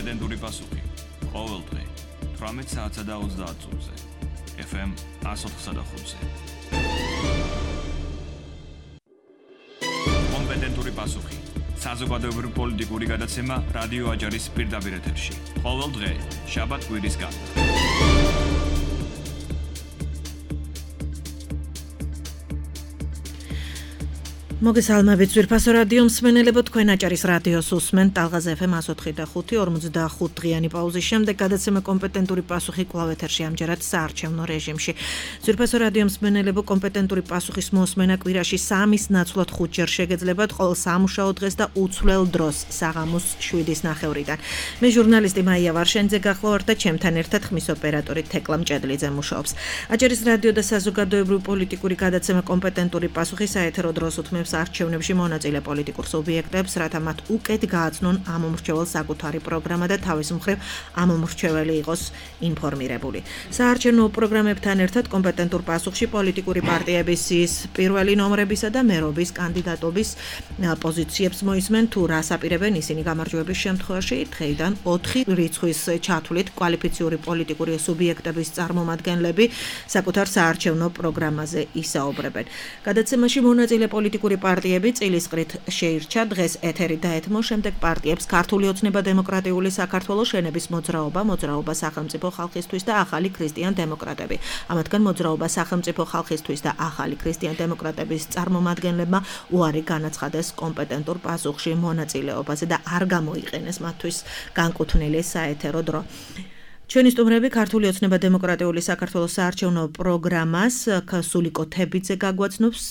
კომპეტენტური პასუხი. ყოველ დღე 18 საათსა და 30 წუთზე. FM 104.5-ზე. კომპეტენტური პასუხი. საზოგადოებრივი პოლიტიკური გადაცემა რადიო აჯარის პირდაპირ ეთერში. ყოველ დღე, შაბათ-კვირის გარდა. მოგესალმებით ძვირფასო რადიო მსმენელებო, თქვენ აჭარის რადიოს უსმენთ ტალღაზე FM 104.5 45 დღიანი პაუზის შემდეგ გადაცემა კომპეტენტური პასუხი კვლავ ეთერში, ამჯერად საარჩევნო რეჟიმში. ძვირფასო რადიო მსმენელებო, კომპეტენტური პასუხის მოსმენა კვირაში 3-ის ნაცვლად 5 ჯერ შეგეძლებათ ყოველ სამუშაო დღეს და უცვლელ დროს საღამოს 7-ის ნახევრიდან. მე ჟურნალისტი მაია ვარშენიძე გახლავართ და ჩემთან ერთად ხმის ოპერატორი თეკლა მჭედლიძე მუშაობს. აჭარის რადიო და საზოგადოებრივი პოლიტიკური გადაცემა კომპეტენტური პასუხი საეთერო დროს უთმევს არჩევნებში მონაწილე პოლიტიკურ სუბიექტებს, რათა მათ უკეთ გააცნონ ამ მომრჩევალ საკუთარი პროგრამა და თავის მხრივ ამ მომრჩეველი იყოს ინფორმირებული. საარჩევნო პროგრამებთან ერთად კომპეტენტურ პასუხში პოლიტიკური პარტიების პირველი ნომრებისა და მერობის კანდიდატობის პოზიციებს მოისმენ, თუ რას აპირებენ ისინი გამარჯვების შემთხვევაში. დღეიდან 4 რიცხვის ჩათვლით კვალიფიციური პოლიტიკური სუბიექტების წარმომადგენლები საკუთარ საარჩევნო პროგრამაზე ისაუბრებენ. გადაცემაში მონაწილე პოლიტიკური პარტიები წილისყრით შეირჩა, დღეს ეთერი დაეთმო შემდეგ პარტიებს ქართული ოცნება დემოკრატიული საქართველოს შენების მოძრაობა სახელმწიფო ხალხისთვის და ახალი ქრისტიან დემოკრატები. ამათგან მოძრაობა სახელმწიფო ხალხისთვის და ახალი ქრისტიან დემოკრატების წარმომადგენლებმა უარი განაცხადეს კომპეტენტურ პასუხში მონაწილეობაზე და არ გამოიყენეს მათთვის განკუთვნილი საეთერო დრო. ჩვენი სტუმრები ქართული ოცნება დემოკრატიული საქართველოს საარჩევნო პროგრამას სულიკო თებიძე გაგვაცნობს,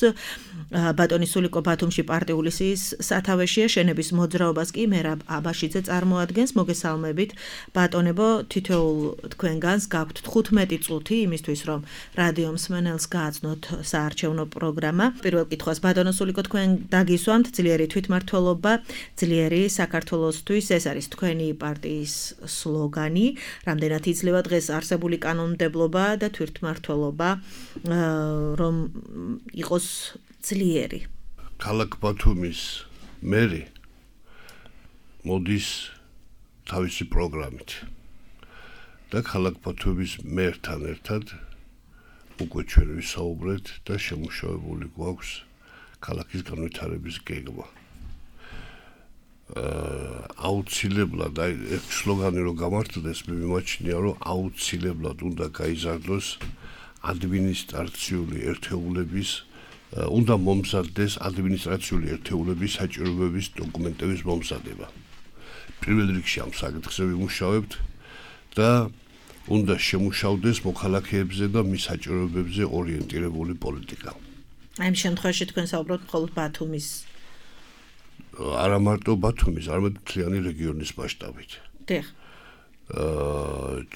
ბატონი სულიკო ბათუმში პარტიული სიის სათავეშია, შენების მოძრაობას კი მერაბ აბაშიძე წარმოადგენს. მოგესალმებით ბატონებო, თითოეულ თქვენგანს გაქვთ 15 წუთი იმისთვის, რომ რადიო მსმენელს გააცნოთ საარჩევნო პროგრამა. პირველ კითხვას ბატონო სულიკო, თქვენ დაგისვამთ, ძლიერი თვითმმართველობა, ძლიერი საქართველოსთვის, ეს არის თქვენი პარტიის სლოგანი. რამდენად იძლევა დღეს არსებული კანონმდებლობა და თვითმმართველობა, რომ იყოს ძლიერი? ქალაქ ბათუმის მერი მოდის თავისი პროგრამით და ქალაქ ბათუმის მერთან ერთად უკვე ჩვენ ვისაუბრეთ და შემუშავებული გვაქვს ქალაქის განვითარების გეგმა. აუცილებლად ეს სლოგანი რომ გამართლდეს, მე მიმაჩნია, რომ აუცილებლად უნდა გაიზარდოს ადმინისტრაციული ერთეულების, უნდა მომზადდეს ადმინისტრაციული ერთეულების საჭიროებების დოკუმენტების მომზადება. პირველ რიგში ამ საკითხზე ვიმუშავებთ და უნდა შემუშავდეს მოქალაქეებზე და მის საჭიროებებზე ორიენტირებული პოლიტიკა. აი ამ შემთხვევაში თქვენ საუბრობთ მხოლოდ ბათუმის, არა მარტო ბათუმის, არამედ მთლიანი რეგიონის მასშტაბით. დიახ.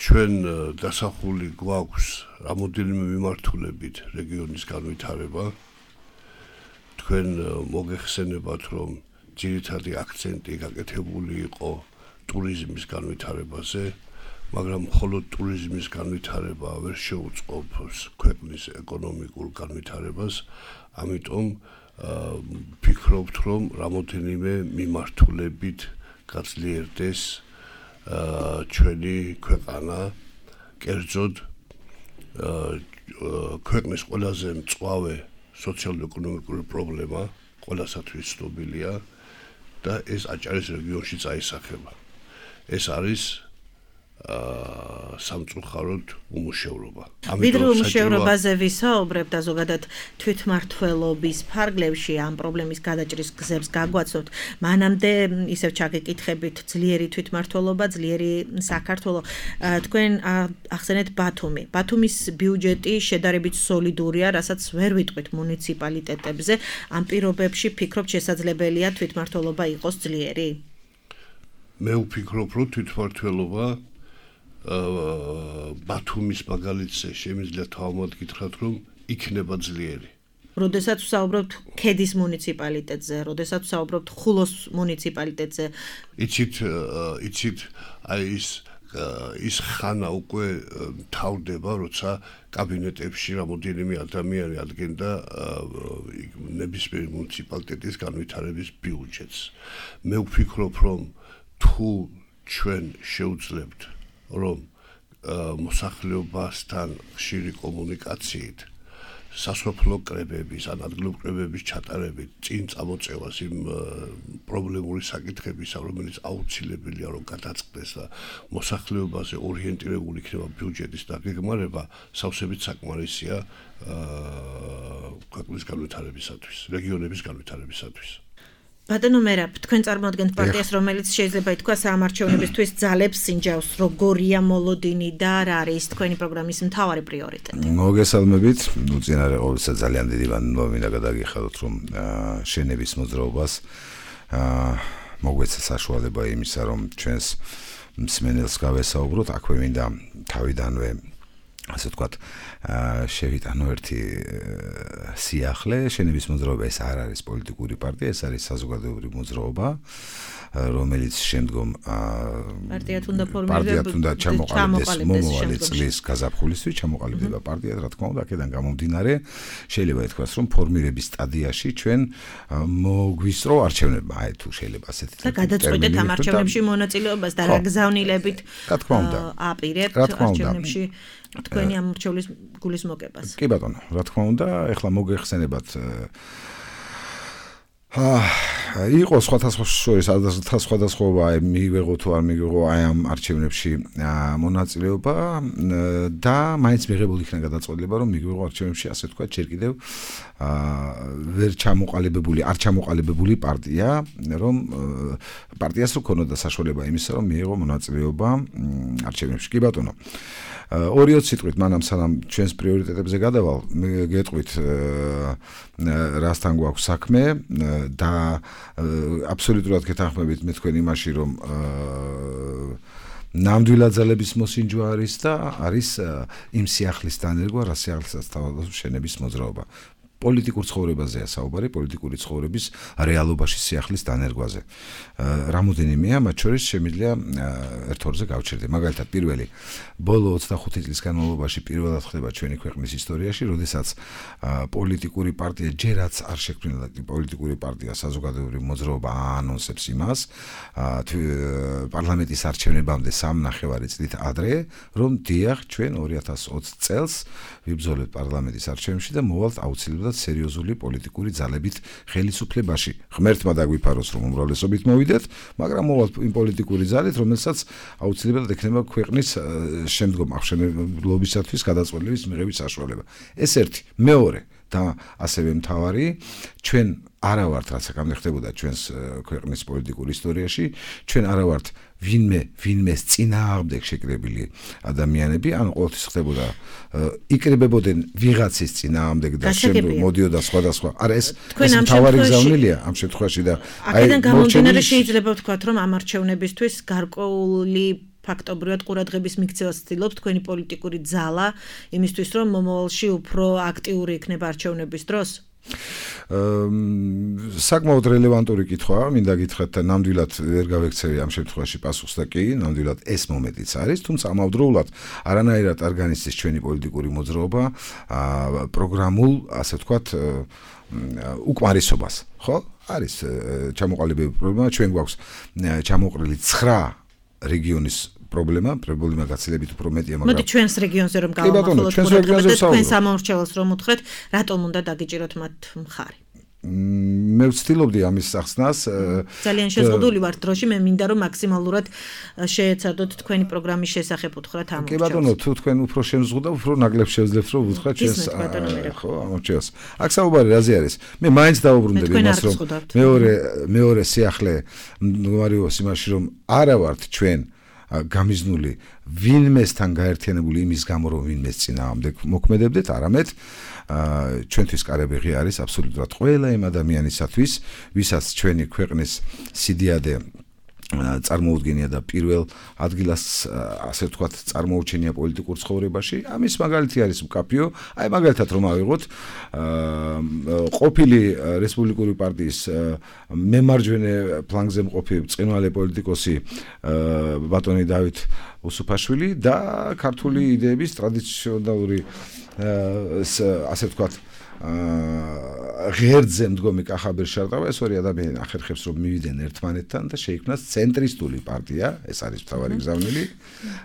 ჩვენ დასახული გვაქვს რამოდენიმე მიმართულებით რეგიონის განვითარება. თქვენ მოგეხსენებათ, რომ ძირითადი აქცენტი გაკეთებული იყო ტურიზმის განვითარებაზე, მაგრამ მხოლოდ ტურიზმის განვითარება ვერ შეუწყობს ქვეყნის ეკონომიკურ განვითარებას, ამიტომ ფიქრობთ, რომ რამოდენიმე მიმართულებით გაძლიერდეს ჩვენი ქვეყანა, კერძოდ ქვეყნის ყველაზე მწვავე სოციალურ-ეკონომიკური პრობლემა ყველასათვის ცნობილია და ეს აჭარის რეგიონში წაისახება. ეს არის სამწუხაროდ უმუშევრობა. ვიდრე უმუშევრობაზე ვისაუბრებთ და ზოგადად თვითმმართველობის ფარგლებში ამ პრობლემის გადაჭრის გზებს გაგვაცნობთ, მანამდე ისევ ჩაგეკითხებით ძლიერი თვითმმართველობა, ძლიერი საქართველო. თქვენ ახსენეთ ბათუმი. ბათუმის ბიუჯეტი შედარებით სოლიდურია, რასაც ვერ ვიტყვით მუნიციპალიტეტებზე. ამ პირობებში ფიქრობთ შესაძლებელია თვითმმართველობა იყოს ძლიერი? მე ვფიქრობ, რომ თვითმმართველობა ბათუმის მაგალითზე შემიძლია თავად გითხრათ, რომ იქნება ძლიერი. როდესაც ვსაუბრობთ ქედის მუნიციპალიტეტზე, როდესაც ვსაუბრობთ ხულოს მუნიციპალიტეტზე, იცით, აი ის ხანა უკვე თავდება, როცა კაბინეტებში რამოდენიმე ადამიანი ადგენდა ნებისმიერი მუნიციპალიტეტის განვითარების ბიუჯეტს. მე ვფიქრობ, რომ თუ ჩვენ შევძლებთ რომ მოსახლეობასთან ხშირი კომუნიკაციით სასოფლო კრებების, ადგილობრივი კრებების ჩატარებით წინ წამოწევას იმ პრობლემური საკითხებისა, რომელიც აუცილებელია რომ გადაწყდეს და მოსახლეობაზე ორიენტირებული იქნება ბიუჯეტის დაგეგმარება, სავსებით საკმარისია ქვეყნის განვითარებისათვის, რეგიონების განვითარებისათვის. ბატონო მერაბ, თქვენ წარმოადგენთ პარტიას, რომელიც შეიძლება ითქვას საამარჩევნებისთვის ძალებს სინჯავს, როგორია მოლოდინი და რა არის თქვენი პროგრამის მთავარი პრიორიტეტი? მოგესალმებით, უწინარე ყოვლისა ძალიან დიდი მინდა გადაგიხადოთ, რომ შენების მოძრაობას მოგვეცა საშუალება იმისა, რომ ჩვენს მსმენელს გავესაუბროთ, აქვე მინდა თავიდანვე ასე ვთქვათ, შევიტანო ერთი სიახლე, შენების მოძრაობა ეს არ არის პოლიტიკური პარტია, ეს არის საზოგადოებრივი მოძრაობა, რომელიც შემდგომ პარტიად უნდა ჩამოყალიბდეს მომავალი წლის გაზაფხულისთვის, ჩამოყალიბდება პარტიად, რა თქმა უნდა, აქედან გამომდინარე, შეიძლება ითქვას, რომ ფორმირების სტადიაში ჩვენ მოგვისწრო არჩევნებმა, აი თუ შეიძლება ასეთი და გადაწყვეტეთ ამ არჩევნებში მონაწილეობას და რა გზავნილებით აპირებთ არჩევნებში თქვენი ამორჩევლის გულის მოგებას. კი ბატონო, რა თქმა უნდა, ეხლა მოგეხსენებათ იყო სხვადასხვა მივიღო თუ არ მივიღო აი ამ არჩევნებში მონაწილეობა და მაინც მიღებული იქნა გადაწყვეტილება რომ მივიღო არჩევნებში ასე თქვა ჯერ კიდევ ვერ ჩამოყალიბებული პარტია რომ პარტიას რო ქონოდა საშუალება იმისა რომ მიიღო მონაწილეობა არჩევნებში. კი ბატონო, 2 სიტყვით მანამ სანამ ჩვენს პრიორიტეტებზე გადავალ, გეტყვით რასთან გვაქვს საქმე და აბსოლუტურად გეთანხმებით მე თქვენ იმაში რომ ნამდვილად ძალების მოსინჯვა არის და არის იმ სიახლის დანერგვა, რა სიახლესაც თავადაც შენების მოძრაობა. პოლიტიკურ ცხოვრებაზეა საუბარი, პოლიტიკური ცხოვრების რეალობაში სიახლის დანერგვაზე. რამოდენიმეა, მათ შორის შემიძლია ერთ-ორზე გავჩერდე. მაგალითად, პირველი, ბოლო 25 წლის განმავლობაში პირველად ხდება ჩვენი ქვეყნის ისტორიაში, როდესაც პოლიტიკური პარტია ჯერაც არ შექმნილა პოლიტიკური პარტია საზოგადოებრივი მოძრაობა აანონსებს იმას, პარლამენტის არჩევნებამდე 3.5 წლით ადრე, რომ დიახ, ჩვენ 2020 წელს ვიბრძოლებთ პარლამენტის არჩევნებში და მოვალთ აუცილებლად სერიოზული პოლიტიკური ძალებით ხელისუფლებაში. ღმერთმა დაგვიფაროს, რომ უმრავლესობით მოვიდეთ, მაგრამ მოვალთ იმ პოლიტიკური ძალით, რომელსაც აუცილებლად ექნება ქვეყნის შემდგომ აღშენებლობისათვის გადაწყვეტილების მიღების საშუალება. ეს ერთი, მეორე და ასევე მთავარი, ჩვენ არა ვართ, რაც აქამდე ხდებოდა ჩვენს ქვეყნის პოლიტიკურ ისტორიაში, ჩვენ არა ვართ ვინმეს წინააღმდეგ შეკრებილი ადამიანები, ან ყოველთვის ხდებოდა იკრებებოდნენ ვიღაცის წინააღმდეგ და შემდგომ მოდიოდა სხვადასხვა. არა, ეს მთავარი გზავნილია ამ შემთხვევაში და აქედან გამომდინარე შეიძლება ვთქვათ, რომ ამ არჩევნებისთვის გარკვეული ფაქტობრივად ყურადღების მიქცევას ცდილობს თქვენი პოლიტიკური ძალა იმისთვის, რომ მომავალში უფრო აქტიური იქნება არჩევნების დროს? საკმაოდ რელევანტური კითხვაა, მინდა გითხრათ და ნამდვილად ვერ გავექცევი ამ შემთხვევაში პასუხს და კი, ნამდვილად ეს მომენტიც არის, თუმცა ამავდროულად არანაირად არ განიცდის ჩვენი პოლიტიკური მოძრაობა პროგრამულ, ასე ვთქვათ, უკმარისობას, ხო? არის ჩამოყალიბებული პრობლემა, ჩვენ გვაქვს ჩამოყრილი 9 რეგიონის პრობლემა გაცილებით უფრო მეტია, მაგრამ მოდი ჩვენს რეგიონზე რომ გავამახვილოთ თქვენ სამომრჩეველს რომ უთხრეთ, რატომ უნდა დაგიჭიროთ მათ მხარი? მე ვცდილობდი ამის სახსნას. ძალიან შეზღუდული ვარ დროში, მე მინდა რომ მაქსიმალურად შეეცადოთ თქვენი პროგრამის შესახებ უთხრათ ამორჩეველს. კი ბატონო, თუ თქვენ უფრო შემზღუდა, უფრო ნაკლებ შევძლებთ რომ უთხრათ ჩვენს ხო, ამორჩეველს. აქ საუბარი რაზე არის? მე მაინც დავუბრუნდები იმას, რომ მეორე სიახლე მდგომარეობს იმაში, რომ არა ვართ ჩვენ გამიზნული ვინმესთან გაერთიანებული იმის გამო რომ ვინმეს წინააღმდეგ მოქმედებდეთ, არამედ ჩვენთვის კარებიღი არის აბსოლუტურად ყველა იმ ადამიანისათვის, ვისაც ჩვენი ქვეყნის სიდიადე წარმოუდგენია და პირველ ადგილას ასე ვთქვათ წარმოუჩენია პოლიტიკურ ცხოვრებაში. ამის მაგალითი არის მკაფიო. აი მაგალითად რომ ავიღოთ ყოფილი რესპუბლიკური პარტიის მემარჯვენე ფლანგზე მყოფი ბრწყინვალე პოლიტიკოსი ბატონი დავით უსუფაშვილი და ქართული იდეების ტრადიციონალური ასე ვთქვათ ღერძზე მდგომი კახაბერ შარტავა ეს ორი ადამიანი ახერხებს რომ მივიდნენ ერთმანეთთან და შეიქმნას ცენტრისტული პარტია, ეს არის მთავარი გზავნილი,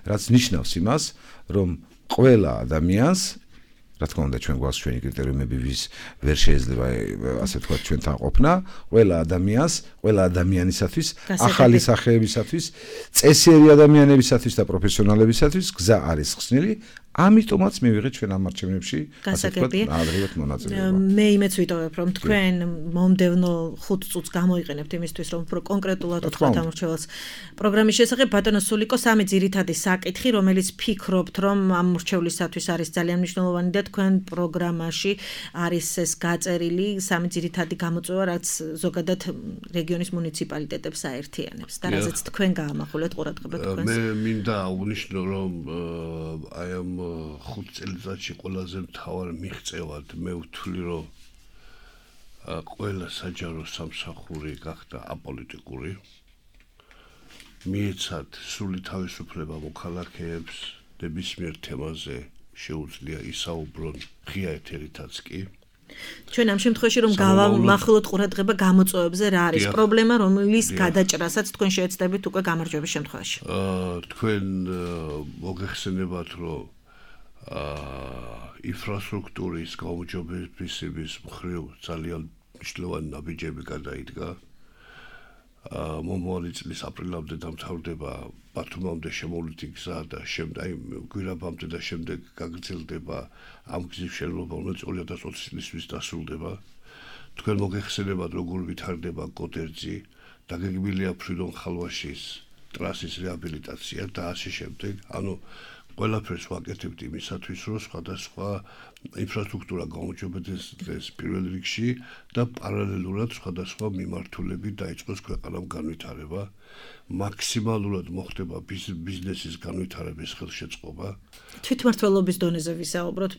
რაც ნიშნავს იმას, რომ ყველა ადამიანს რა თქმა უნდა ჩვენ გვაქვს ჩვენი კრიტერიუმები ვის ვერ შეიძლება ასე ვთქვათ ჩვენთან ყოფნა ყველა ადამიანისათვის ახალი სახეებისათვის წესიერი ადამიანებისათვის და პროფესიონალებისათვის გზა არის ხსნილი ამიტომაც მივიღეთ ჩვენ ამ არჩევნებში ასე ვთქვათ ადრევად მონაწილეობა მე იმეც ვიტოვებ რომ თქვენ მომდევნო 5 წუთს გამოიყენებთ იმისთვის რომ უფრო კონკრეტულად ვთქვათ ამ მრჩეველს პროგრამის შესახებ ბატონო სულიკო სამი ძირითადი საკითხი რომელიც ფიქრობთ რომ ამ მრჩევლისათვის არის ძალიან მნიშვნელოვანი და თქვენ პროგრამაში არის ეს გაწერილი სამი ძირითადი გამოწვევა რაც ზოგადად რეგიონის მუნიციპალიტეტებს აერთიანებს და რაზეც თქვენ გაამახვილეთ ყურადღება თქვენს მე მინდა აღნიშნო რომ აი ამ 5 წელიწადში ყველაზე მთავარ მიღწევად მე ვთვლი რომ ყველა საჯარო სამსახური გახდა აპოლიტიკური მიეცათ სრული თავისუფლება მოქალაქეებს ნებისმიერ თემაზე შეუძლია ისაუბრონ ღია ეთერითაც კი ჩვენ ამ შემთხვევაში რომ გავამახვილოთ ყურადღება გამოწვევებზე რა არის პრობლემა რომლის გადაჭრასაც თქვენ შეეცდებით უკვე გამარჯვების შემთხვევაში თქვენ მოგეხსენებათ რომ ინფრასტრუქტურის გაუმჯობესების მხრივ ძალიან მნიშვნელოვანი ნაბიჯები გადაიდგა მომავალი წლის აპრილამდე დამთავრდება ბათუმამდე შემოვლითი გზა და შემდეგ გვირაბამდე და შემდეგ გაგრძელდება ამ გზის მშენებლობა რომელიც 2020 წლისთვის დასრულდება თქვენ მოგეხსენებათ როგორ ვითარდება კოდერძი დაგეგმილია ფრიდონ ხალვაშის ტრასის რეაბილიტაცია და ასე შემდეგ ანუ ყველაფერს ვაკეთებთ იმისათვის რომ სხვადასხვა ინფრასტრუქტურა გაუმჯობესდეს პირველ რიგში და პარალელურად სხვადასხვა მიმართულებით დაიწყოს ქვეყანამ განვითარება მაქსიმალურად მოხდება ბიზნესის განვითარების ხელშეწყობა თვითმმართველობის დონეზე ვისაუბროთ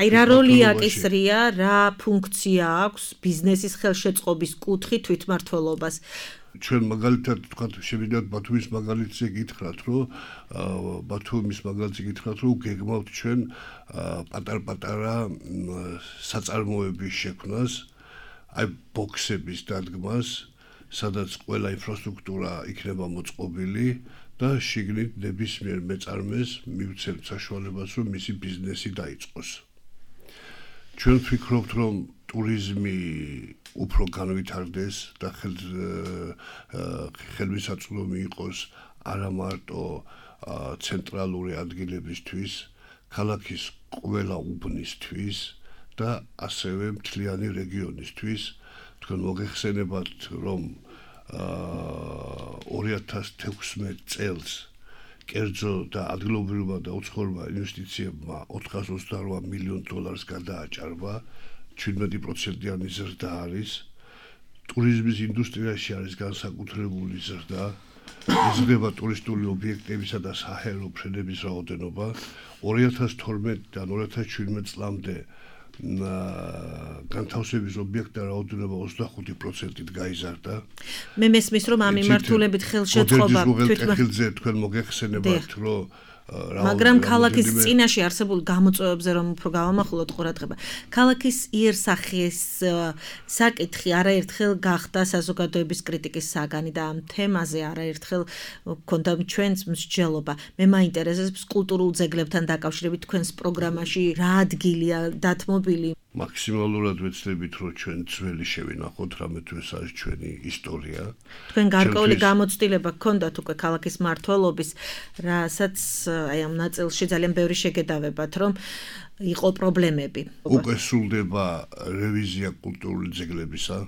აი რა როლი აკისრია რა ფუნქცია აქვს ბიზნესის ხელშეწყობის კუთხით თვითმმართველობას ჩვენ მაგალითად თქვათ შევიდეთ ბათუმის მაგალითზე გითხრათ რომ ბათუმის მაგალითზე გითხრათ რომ გეგმავთ ჩვენ პატარ-პატარა საწარმოების შექმნას აი ბოქსების დადგმას სადაც ყველა ინფრასტრუქტურა იქნება მოწყობილი და შიგნით ნებისმიერ მეწარმეს მივცემთ საშუალებას რომ მისი ბიზნესი დაიწყოს ჩვენ ვფიქრობთ რომ ტურიზმი უფრო განვითარდეს და ხელმისაწვდომი იყოს არა მარტო ცენტრალური ადგილებისთვის, ქალაქის ყველა უბნისთვის და ასევე მთლიანი რეგიონისთვის. თქვენ მოგეხსენებათ, რომ 2016 წელს კერძო და ადგილობრივმა და უცხოურმა ინვესტიციებმა $428 მილიონ გადააჭარბა, 17%-იანი ზრდა არის. ტურიზმის ინდუსტრიაში არის განსაკუთრებული ზრდა. იზრდება ტურისტული ობიექტებისა და საჰაერო ფრენების რაოდენობა. 2012-დან 2017 წლამდე განთავსების ობიექტთა რაოდენობა 25%-ით გაიზარდა. მე მესმის რომ ამ მიმართულებით ხელშეწყობა თვითმმართველობაზე თქვენ მოგეხსენებათ რომ მაგრამ ქალაქის წინაშე არსებულ გამოწვევებზე რომ უფრო გავამახვილოთ ყურადღება. ქალაქის იერსახის საკითხი არაერთხელ გახდა საზოგადოების კრიტიკის საგანი და ამ თემაზე არაერთხელ გქონდა ჩვენს მსჯელობა. მე მაინტერესებს კულტურულ ძეგლებთან დაკავშირებით თქვენს პროგრამაში რა ადგილია დათმობილი. მაქსიმალურად ვეცდებით რომ ჩვენ ძველი შევინახოთ, რამე თუ ეს არის ჩვენი ისტორია. თქვენ გარკვეული გამოცდილება გქონდათ უკვე ქალაქის მმართველობის, რასაც აი ამ ნაწილში ძალიან ბევრი შეგედავებათ, რომ იყო პრობლემები. უკვე სრულდება რევიზია კულტურული ძეგლებისა.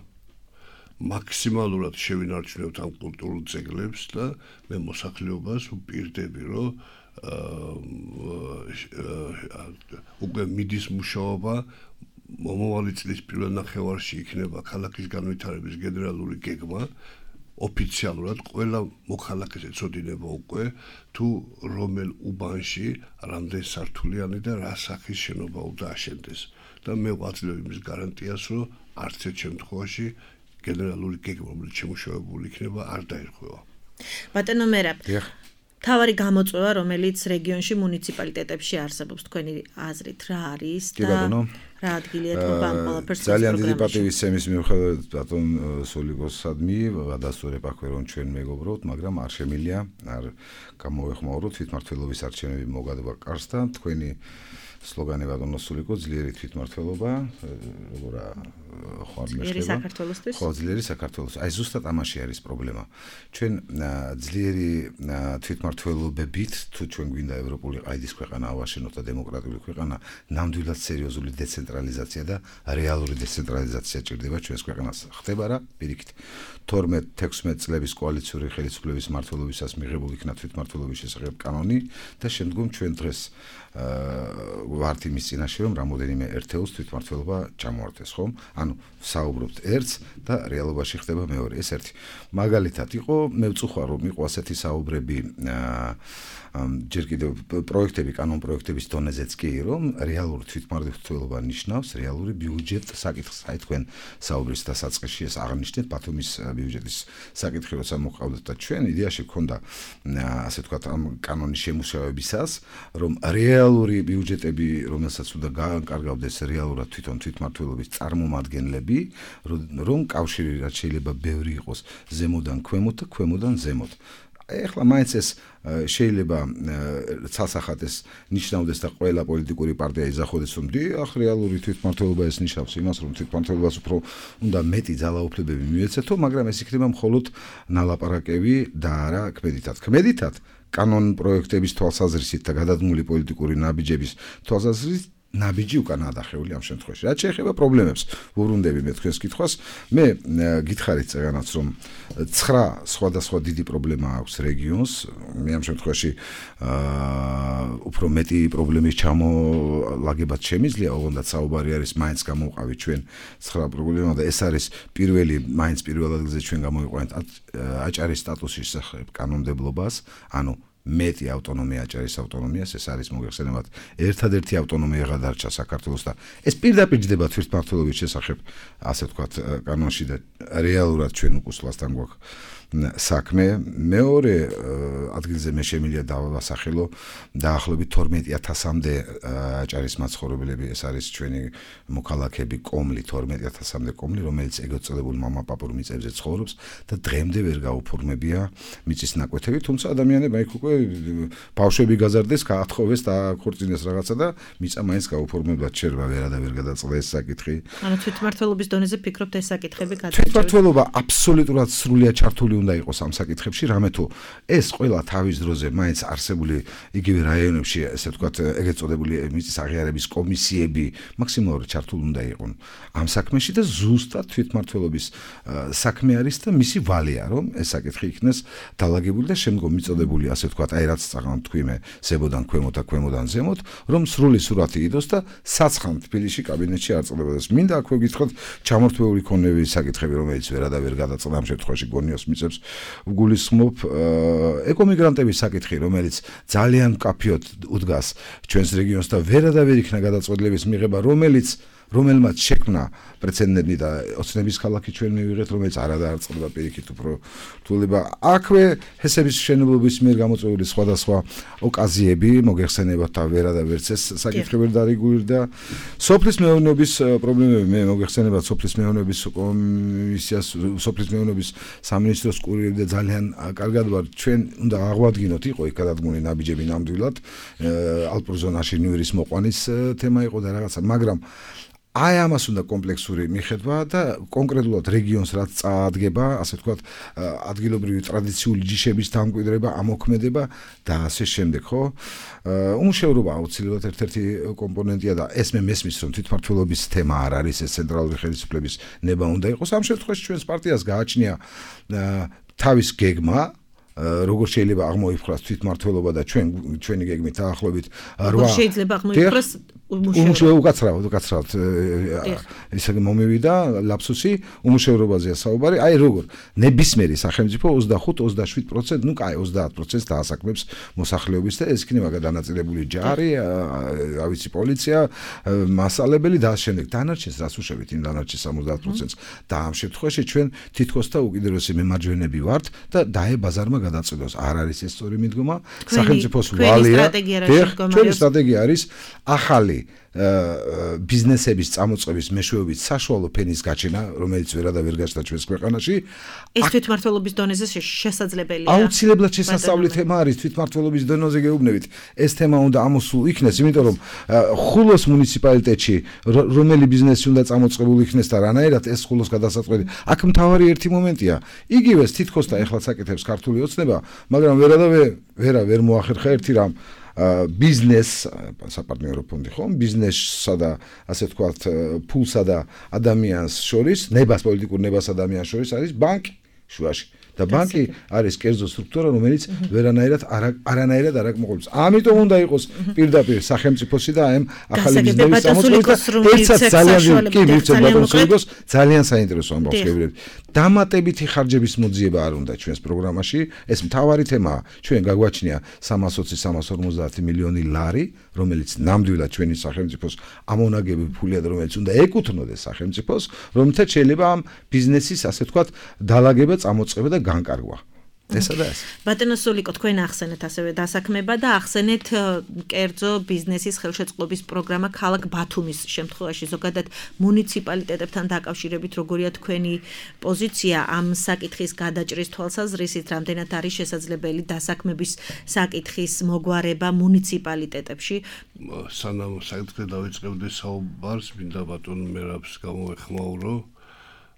მაქსიმალურად შევინარჩუნებთ ამ კულტურულ ძეგლებს და მე მოსახლეობას ვპირდები, რომ უკვე მიდის მუშაობა მომავალი წლის პირველ ნახევარში იქნება ქალაქის განვითარების გენერალური გეგმა ოფიციალურად ყველა მოქალაქეს ეცოდინება უკვე თუ რომელ უბანში რამდენ სართულიანი და რა სახის შენობა უნდა აშენდეს და მე ვაძლევ იმის გარანტიას რომ არც ერთ შემთხვევაში გენერალური გეგმა რომელიც შემუშავებული იქნება არ დაირღვევა. ბატონო მერაბ თავარი გამოწვევა, რომელიც რეგიონში მუნიციპალიტეტებში არსებობს, თქვენი აზრით რა არის და რა ადგილია თქმა ამ ყველაფერს ძალიან დიდი პატივისცემის მიუხედავად ბატონ სოლიკოსადმი გადასწორებ აქვე რომ ჩვენ მეგობრობთ, მაგრამ არ შემილია, არ გამოეხმაუროთ თვითმმართველობის არჩევნები მოგადობა კარს და თქვენი სლოგანი ბატონო სულიკო ძლიერი თვითმმართველობა, როგორ ხარ მეშლება? ხო, ძლიერი საქართველოს. აი ზუსტად ამაში არის პრობლემა. ჩვენ ძლიერი თვითმმართველობებით თუ ჩვენ გვინდა ევროპული ყაიდის ქვეყანა ავაშენოთ და დემოკრატიული ქვეყანა, ნამდვილად სერიოზული დეცენტრალიზაცია და რეალური დეცენტრალიზაცია ჭირდება ჩვენს ქვეყანას. ხდება რა? პირიქით 12-16 წლების კოალიციური ხელისუფლების მმართველობისას მიღებული იქნა თვითმმართველობის შესახებ კანონი და შემდგომ ჩვენ დღეს ვართ იმის წინაშე რომ რამოდენიმე ერთეულს თვითმმართველობა ჩამოართვეს, ხომ? ანუ საუბრობთ ერთს და რეალობაში ხდება მეორე. ეს ერთი. მაგალითად იყო, მე ვწუხარ რომ იყო ასეთი საუბრები ჯერ კიდევ პროექტები, კანონ პროექტების დონეზეც კი, რომ რეალური თვითმმართველობა ნიშნავს რეალური ბიუჯეტ საკითხს. აი თქვენ საუბრის დასაწყისში ეს აღნიშნეთ ბათუმის ბიუჯეტის საკითხი, როცა მოყავდათ და ჩვენ იდეაში გქონდა ასე ვთქვათ ამ კანონის შემუშავებისას, რომ რეალური ბიუჯეტები, რომელსაც უნდა გაანკარგავდეს რეალურად თვითონ თვითმმართველობის წარმომადგენლები, რომ კავშირი რაც შეიძლება ბევრი იყოს ზემოდან ქვემოთ და ქვემოდან ზემოთ. ეხლა მაინც ეს შეიძლება ცალსახად ეს ნიშნავდეს და ყველა პოლიტიკური პარტია იზახოდეს რომ დიახ რეალური თვითმმართველობა ეს ნიშნავს იმას რომ თვითმმართველობას უფრო უნდა მეტი ძალაუფლებები მიეცეთო, მაგრამ ეს იქნება მხოლოდ ნალაპარაკები და არა ქმედითად კანონ პროექტების თვალსაზრისით და გადადგმული პოლიტიკური ნაბიჯების თვალსაზრისით ნაბიჯი უკან ადახეული ამ შემთხვევაში. რაც შეეხება პრობლემებს, ვუბრუნდები მე თქვენს კითხვას, მე გითხარით წეგანაც რომ 9 სხვადასხვა დიდი პრობლემა აქვს რეგიონს, მე ამ შემთხვევაში უფრო მეტი პრობლემის ჩამოლაგებაც შემიძლია, ოღონდ საუბარი არის მაინც გამოვყავით ჩვენ 9 პრობლემა და ეს არის მაინც პირველ ადგილზე ჩვენ გამოვიყვანეთ აჭარის სტატუსის შესახებ კანონმდებლობას, ანუ მეტი ავტონომია აჭარის ავტონომიას, ეს არის მოგეხსენებათ ერთადერთი ავტონომია გადარჩა საქართველოს და ეს პირდაპირ ჯდება თვითმმართველობის შესახებ, ასე ვთქვათ, კანონში და რეალურად ჩვენ უკუსლასთან გვაქვს საქმე. მეორე ადგილზე მე შემიძლია დავასახელო დაახლოებით 12,000-მდე აჭარის მაცხოვრებლები, ეს არის ჩვენი მოქალაქეები კომლი, 12,000-მდე კომლი, რომელიც ეგრეთ წოდებულ მამაპაპურ მიწებზე ცხოვრობს და დღემდე ვერ გაუფორმებია მიწის ნაკვეთები, თუმცა ადამიანებმა იქ უკვე ბავშვები გაზარდეს, გაათხოვეს და ქორწინეს რაღაცა და მიწა მაინც გაუფორმებლად შერვა ვერადავერ გადაწყდა ეს საკითხი. ანუ თვითმმართველობის დონეზე ფიქრობთ ეს საკითხები გადაჭრა? თვითმმართველობა აბსოლუტურად სრულიად ჩართული უნდა იყოს ამ საკითხებში, რამე თუ ეს ყველა თავის დროზე მაინც არსებული იგივე რაიონებში, ესე ვთქვათ, ეგრეთ წოდებული მიწის აღიარების კომისიები მაქსიმალურად ჩართული უნდა იყვნენ ამ საქმეში და ზუსტად თვითმმართველობის საქმე არის და მისი ვალია, რომ ეს საკითხი იქნეს დალაგებული და შემდგომ მიწოდებული, ასე ვთქვათ, აი რაც წაღან თქვი მე, ზემოდან ქვემოთ და ქვემოდან ზემოთ, რომ სრული სურათი იდოს და საცხან თბილისში კაბინეტში არ წლებოდეს. მინდა აქვე გითხრათ ჩამორთმეული ქონების საკითხები, რომელიც ვერადავერ გადაწყდა ამ შემთხვევაში გონიოს მიწებს ვგულისხმობ ეკომიგრანტების საკითხი, რომელიც ძალიან მკაფიოდ უდგას ჩვენს რეგიონს და ვერადავერ იქნა გადაწყვეტილების მიღება, რომელმაც შექმნა პრეცედენტი და ოცნების ქალაქი ჩვენ მივიღეთ, რომელიც არადარ წყდება პირიქით უფრო რთულება. აქვე ჰესების მშენებლობის მიერ გამოწვეული სხვადასხვა ოკაზიები მოგეხსენებათ და ვერადავერც ეს საკითხი ვერ დარეგულირდა. სოფლის მეურნეობის პრობლემები მე მოგეხსენებათ სოფლის მეურნეობის კომისიას, სოფლის მეურნეობის სამინისტროს კურირები და ძალიან კარგად ვარ ჩვენ უნდა აღვადგინოთ, იყო იქ გადადგმული ნაბიჯები ნამდვილად ალპურ ზონაში ნიურის მოყვანის თემა იყო და რაღაცა, მაგრამ აი ამას უნდა კომპლექსური მიხედვა და კონკრეტულად რეგიონს რაც წაადგება, ასე ვთქვათ, ადგილობრივი ტრადიციული ჯიშების დამკვიდრება, ამოქმედება და ასე შემდეგ, ხო? უმუშევრობა აუცილებლად ერთ-ერთი კომპონენტია და ეს მე მესმის, რომ თვითმმართველობის თემა არ არის, ეს ცენტრალური ხელისუფლების ნება უნდა იყოს. ამ შემთხვევაში ჩვენს პარტიას გააჩნია თავის გეგმა, როგორ შეიძლება აღმოიფხვრას თვითმმართველობა და ჩვენი გეგმით დაახლოებით 8 როგორ შეიძლება აღმოიფხვრას უკაცრავად ისე მომივიდა ლაფსუსი უმუშევრობაზეა საუბარი, აი როგორ ნებისმიერი სახელმწიფო 25-27%, ნუ კაი 30% დაასაქმებს მოსახლეობის და ეს იქნება გადანაწილებული ჯარი, რა ვიცი პოლიცია, მასალებელი და ამ შემდეგ დანარჩენს რას უშვებით იმ დანარჩენ 70%-ს და ამ შემთხვევაში ჩვენ თითქოს და უკიდურესი მემარჯვენეები ვართ და დაე ბაზარმა გადაწყვეტოს. არ არის ეს სწორი მიდგომა. სახელმწიფოს ვალია. ჩვენი სტრატეგია არის ახალი ბიზნესების წამოწყების მეშვეობით საშუალო ფენის გაჩენა, რომელიც ვერადა ვერ გაჩნდა ჩვენს ქვეყანაში. ეს თვითმმართველობის დონეზე შესაძლებელია. აუცილებლად შესასწავლი თემა არის თვითმმართველობის დონეზე გეუბნებით. ეს თემა უნდა ამოსულ იქნეს, იმიტომ რომ ხულოს მუნიციპალიტეტში რომელი ბიზნესი უნდა წამოწყებული იქნეს და რანაირად ეს ხულოს გადასაწყვეტი. აქ მთავარი ერთი მომენტია. იგივეს თითქოს და ეხლა საკეთებს ქართული ოცნება, მაგრამ ვერ მოახერხა ერთი რამ ბიზნეს საპარტნიორო ფონდი ხომ ბიზნესსა და ასე ვთქვათ ფულსა და ადამიანს შორის პოლიტიკურ ნებას ადამიანს შორის არის ბანკი შუაში და ბანკი არის კერძო სტრუქტურა რომელიც არანაირად არ აკმაყოფილებს. ამიტომ უნდა იყოს პირდაპირ სახელმწიფოსი და ამ ახალი ბიზნესის წამოწყებას ძალიან საინტერესო ამბავს შევიდეთ. დამატებითი ხარჯების მოძიება არ უნდა ჩვენს პროგრამაში. ეს მთავარი თემაა. ჩვენ გაგვაჩნია 320-350 მილიონი ლარი, რომელიც ნამდვილად ჩვენი სახელმწიფოს ამონაგები ფულია და რომელიც უნდა ეკუთვნოდეს სახელმწიფოს, რომელთაც შეიძლება ამ ბიზნესის ასე ვთქვათ დალაგება, წამოწყება და განკარგვა. ესა და ეს. ბატონო სულიკო, თქვენ ახსენეთ ასევე დასაქმება და ახსენეთ კერძო ბიზნესის ხელშეწყობის პროგრამა ქალაქ ბათუმის შემთხვევაში. ზოგადად მუნიციპალიტეტებთან დაკავშირებით როგორია თქვენი პოზიცია ამ საკითხის გადაჭრის თვალსაზრისით, რამდენად არის შესაძლებელი დასაქმების საკითხის მოგვარება მუნიციპალიტეტებში? სანამ საკითხზე დავიწყებდე საუბარს, მინდა ბატონ მერაბს გამოვეხმაურო.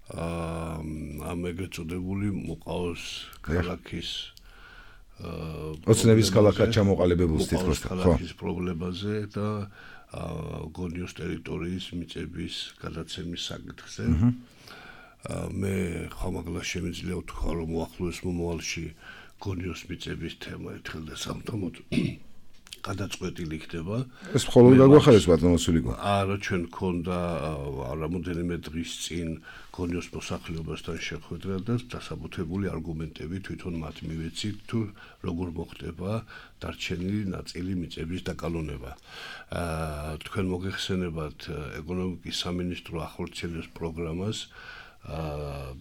ამ ეგრეთ წოდებული მოყავს ქალაქის ოცნების ქალაქად ჩამოყალიბებულს თითქოს ქალაქის პრობლემაზე და გონიოს ტერიტორიის მიწების გადაცემის საკითხზე. მე ხომაგლა შემიძლია ვთქვა, რომ უახლოეს მომავალში გონიოს მიწების თემა ერთხელ და სამუდამოდ გადაწყვეტილი იქნება. ეს მხოლოდ გაგვახარეს ბატონო სულიკო. არა, ჩვენ გქონდა რამოდენიმე დღის წინ გონიოს მოსახლეობასთან შეხვედრა და დასაბუთებული არგუმენტები თვითონ მათ მივეცით თუ როგორ მოხდება დარჩენილი ნაწილი მიწების დაკალონება. თქვენ მოგეხსენებათ ეკონომიკის სამინისტრო ახორციელებს პროგრამას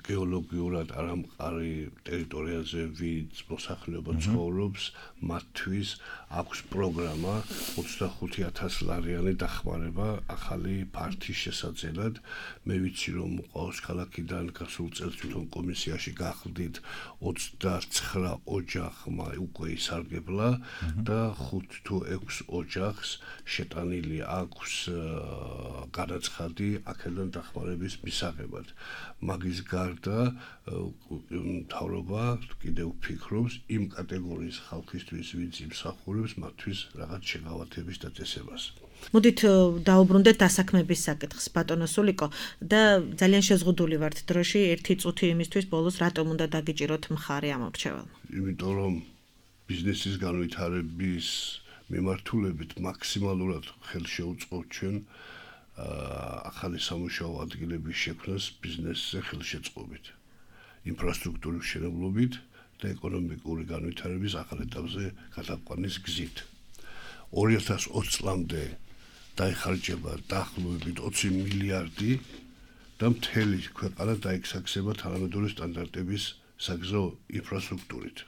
გეოლოგიურად არამყარი ტერიტორიაზე ვინც მოსახლეობა ცხოვრობს, მათთვის აქვს პროგრამა 25,000 ლარიანი დახმარება ახალი ფართის შესაძლებლად. მე ვიცი რომ მოყავს ქალაქიდან გასულ წელს თვითონ კომისიაში გახლდით 29 ოჯახმა უკვე ისარგებლა და 5 თუ 6 ოჯახს შეტანილი აქვს განაცხადი აქედან დახმარების მისაღებად. მაგის გარდა მთავრობა კიდევ ფიქრობს იმ კატეგორიის ხალხისთვის, ვინც იმსახურებს მათთვის რაღაც შეღავათების დაწესებას. მოდით დაუბრუნდეთ დასაქმების საკითხს, ბატონო სულიკო, და ძალიან შეზღუდული ვართ დროში, ერთი წუთი იმისთვის ბოლოს რატომ უნდა დაგიჭიროთ მხარე ამ მრჩეველმა? იმიტომ რომ ბიზნესის განვითარების მიმართულებით მაქსიმალურად ხელს შევუწყობთ ჩვენ ახალი სამუშაო ადგილების შექმნას ბიზნესზე ხელშეწყობით, ინფრასტრუქტურის მშენებლობით და ეკონომიკური განვითარების ახალ ეტაპზე გადაყვანის გზით. 2020 წლამდე დაიხარჯება დაახლოებით 20 მილიარდი და მთელი ქვეყანა დაექსაქსება თანამედროვე სტანდარტების საგზაო ინფრასტრუქტურით.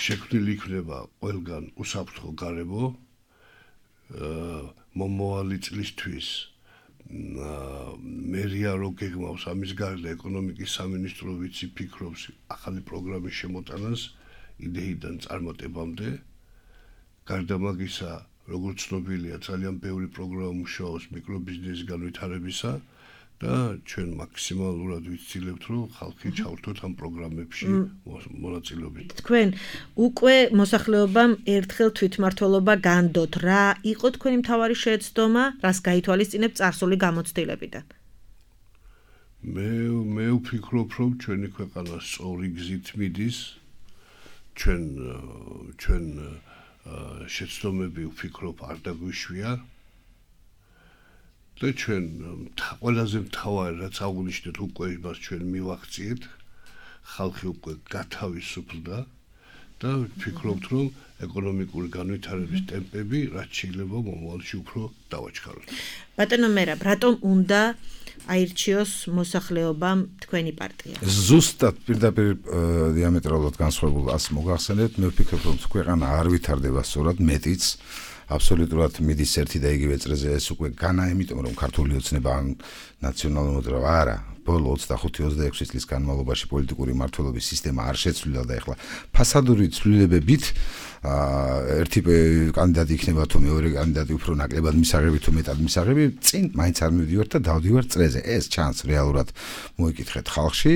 შექმნილი იქნება ყველგან უსაფრთხო გარემო მომავალი წლისთვის მერია რო გეგმავს ამის გარდა ეკონომიკის სამინისტრო ვიცი ფიქრობს ახალი პროგრამის შემოტანას იდეიდან წარმატებამდე. გარდა მაგისა, როგორც ცნობილია, ძალიან ბევრი პროგრამა მუშაობს მიკრობიზნესის განვითარებისა და ჩვენ მაქსიმალურად ვიცილებთ, რომ ხალხი ჩავრთოთ ამ პროგრამებში მონაწილეობით. თქვენ უკვე მოსახლეობამ ერთხელ თვითმმართველობა განდოთ. რა იყო თქვენი მთავარი შეცდომა, რას გაითვალისწინებთ წარსული გამოცდილებიდან? მე ვფიქრობ, რომ ჩვენი ქვეყანა სწორი გზით მიდის. ჩვენ შეცდომები ვფიქრობ არ დაგვიშვია. და ჩვენ ყველაზე მთავარი რაც აღვნიშნეთ უკვე იმას ჩვენ მივახციეთ, ხალხი უკვე გათავისუფლდა და ვფიქრობთ, რომ ეკონომიკური განვითარების ტემპები რაც შეიძლება მომავალში უფრო დავაჩქაროთ. ბატონო მერაბ, რატომ უნდა აირჩიოს მოსახლეობამ თქვენი პარტია? ზუსტად პირდაპირ დიამეტრალურად განსხვავებულ ას მოგახსენებთ, მე ვფიქრობ, რომ ქვეყანა არ ვითარდება სწორად, მეტიც აბსოლუტურად მიდის ერთი და იგივე წრეზე ეს უკვე განა, იმიტომ რომ ქართული ოცნება ან ნაციონალური მოძრაობა არა. ბოლო 25-26 წლის განმავლობაში პოლიტიკური მმართველობის სისტემა არ შეცვლილა და ეხლა ფასადური ცვლილებებით ერთი კანდიდატი იქნება თუ მეორე კანდიდატი უფრო ნაკლებად მისაღები თუ მეტად მისაღები, წინ მაინც არ მივდივართ და დავდივართ წრეზე. ეს ჩანს რეალურად მოიკითხეთ ხალხში,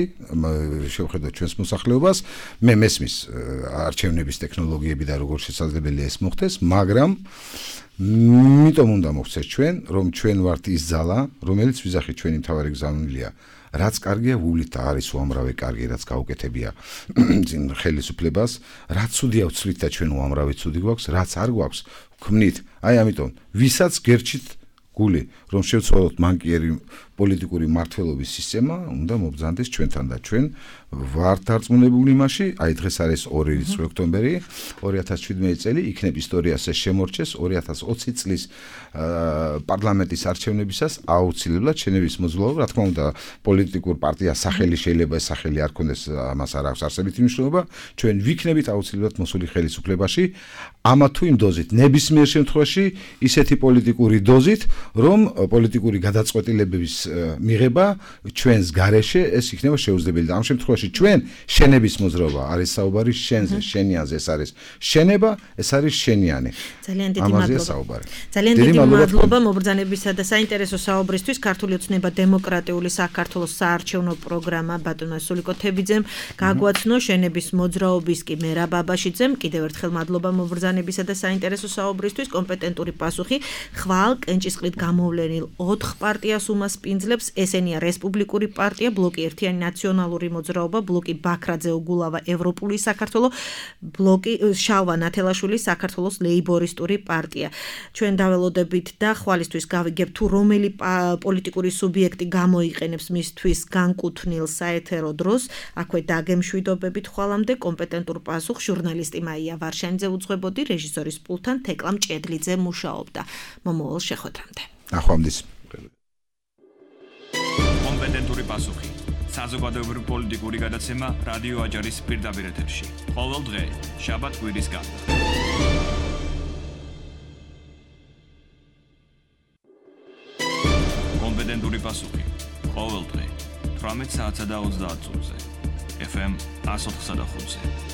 შევხედოთ ჩვენს მოსახლეობას, მე მესმის არჩევნების ტექნოლოგიები და როგორ შესაძლებელია ეს მოხდეს, მაგრამ იმიტომ უნდა მოხდეს ჩვენ, რომ ჩვენ ვართ ის ძალა, რომელიც ვიზახით ჩვენი მთავარი გზავნილია. რაც კარგია ვუვლით და არის უამრავი კარგი, რაც გაუკეთებია წინ ხელისუფლებას, რაც ცუდია ვცვლით და ჩვენ უამრავი ცუდი გვაქვს, რაც არ გვაქვს, ვქმნით. აი ამიტომ, ვისაც გერჩით გული, რომ შევცვალოთ მანკიერი პოლიტიკური მმართველობის სისტემა, უნდა მობრძანდეს ჩვენთან და ჩვენ ვართ დარწმუნებული იმაში, აი დღეს არის 2 ოქტომბერი 2017 წელი, იქნებ ისტორიას ეს შემორჩეს 2020 წლის პარლამენტის არჩევნებისას აუცილებლად შენების მოძრაობა, რა თქმა უნდა, პოლიტიკურ პარტიას სახელი შეიძლება ეს სახელი არ ქონდეს, ამას არ აქვს არსებითი მნიშვნელობა, ჩვენ ვიქნებით აუცილებლად მოსული ხელისუფლებაში, ამა თუ იმ დოზით, ნებისმიერ შემთხვევაში ისეთი პოლიტიკური დოზით, რომ პოლიტიკური გადაწყვეტილებების მიღება ჩვენს გარეშე ეს იქნება შეუძლებელი და ამ შემთხვევაში ჩვენ შენების მოძრაობა არის საუბარი შენზე, შენიანზე, ეს არის შენება, ეს არის შენიანი. ძალიან დიდი მადლობა. ძალიან დიდი მადლობა მობრძანებისა და საინტერესო საუბრისთვის. ქართული ოცნება დემოკრატიული საქართველოს საარჩევნო პროგრამა ბატონმა სულიკო თებიძემ გაგვაცნო, შენების მოძრაობის კი მერაბ აბაშიძემ. კიდევ ერთხელ მადლობა მობრძანებისა და საინტერესო საუბრისთვის. კომპეტენტური პასუხი ხვალ კენჭისყრით გამოვლენილ 4 პარტიას უმასპინძლებს. ესენია რესპუბლიკური პარტია, ბლოკი ერთიანი ნაციონალური მოძრაობა, ბლოკი ბაქრაძე უგულავა ევროპული საქართველო, ბლოკი შალვა ნათელაშვილი საქართველოს ლეიბორისტური პარტია. ჩვენ დაველოდებით და ხვალისთვის გავიგებთ თუ რომელი პოლიტიკური სუბიექტი გამოიყენებს მისთვის განკუთვნილ საეთერო დროს. აქვე დაგემშვიდობებით ხვალამდე კომპეტენტურ პასუხს ჟურნალისტი მაია ვარშანიძე უძღვებოდი, რეჟისორის პულტთან თეკლა მჭედლიძე მუშაობდა. მომავალ შეხვედრამდე. ახვამდის. კომპეტენტური პასუხი. საზოგადოებრივი პოლიტიკური გადაცემა რადიო აჯარის პირდაპირ ეთერში. ყოველ დღე, შაბათ-კვირის გარდა. კომპეტენტური პასუხი. ყოველ დღე, 18 საათსა და 30 წუთზე. FM 104.5-ზე.